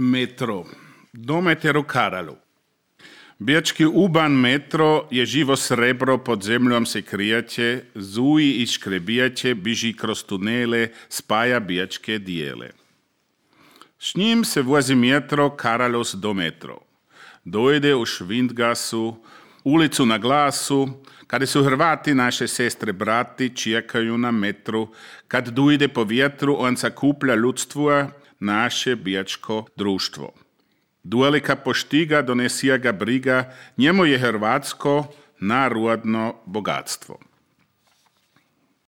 Metro. Do meteru Karalu. Bijački uban metro je živo srebro, pod zemljom se krijaće, zuji i škrebijaće, biži kroz tunele, spaja bijačke dijele. S njim se vozi metro Karalos do metro. Dojde u Švindgasu, ulicu na glasu, kada su Hrvati, naše sestre, brati, čekaju na metru, kad dojde po vjetru, on sakuplja ljudstvo, naše bijačko društvo. Duelika poštiga, donesija ga briga, njemu je hrvatsko narodno bogatstvo.